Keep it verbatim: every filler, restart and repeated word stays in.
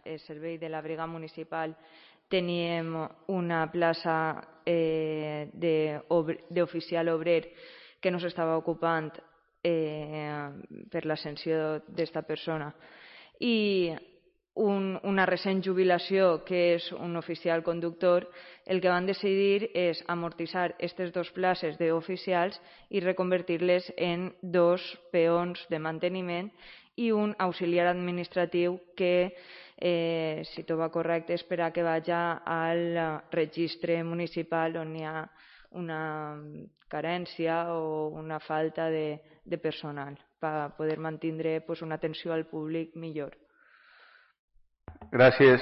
el servei de la brigada municipal teníem una plaça eh, d'oficial obrer que no s'estava ocupant eh, per l'ascensió d'esta persona. I un, una recent jubilació, que és un oficial conductor, el que van decidir és amortitzar aquestes dues places d'oficials i reconvertir-les en dos peons de manteniment i un auxiliar administratiu que, eh, si tot va correcte, espera que vagi al registre municipal on hi ha una carència o una falta de, de personal per poder mantenir pues, una atenció al públic millor. Gràcies.